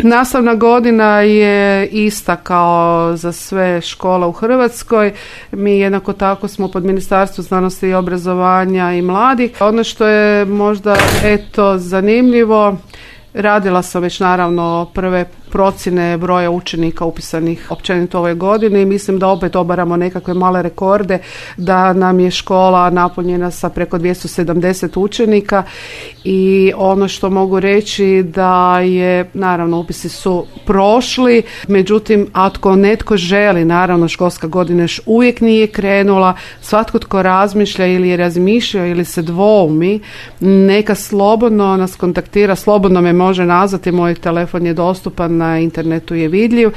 Nastavna godina je ista kao za sve škole u Hrvatskoj. Mi jednako tako smo pod Ministarstvom znanosti i obrazovanja i mladih. Ono što je možda zanimljivo, radila sam već naravno prve procjene broja učenika upisanih općenito ove godine i mislim da opet obaramo nekakve male rekorde, da nam je škola napunjena sa preko 270 učenika i ono što mogu reći da je, naravno upisi su prošli, međutim ako netko želi, naravno školska godina još uvijek nije krenula, svatko tko razmišlja ili je razmišljao ili se dvoumi, neka slobodno nas kontaktira, slobodno me može nazvati, moj telefon je dostupan, na internetu je vidljiv.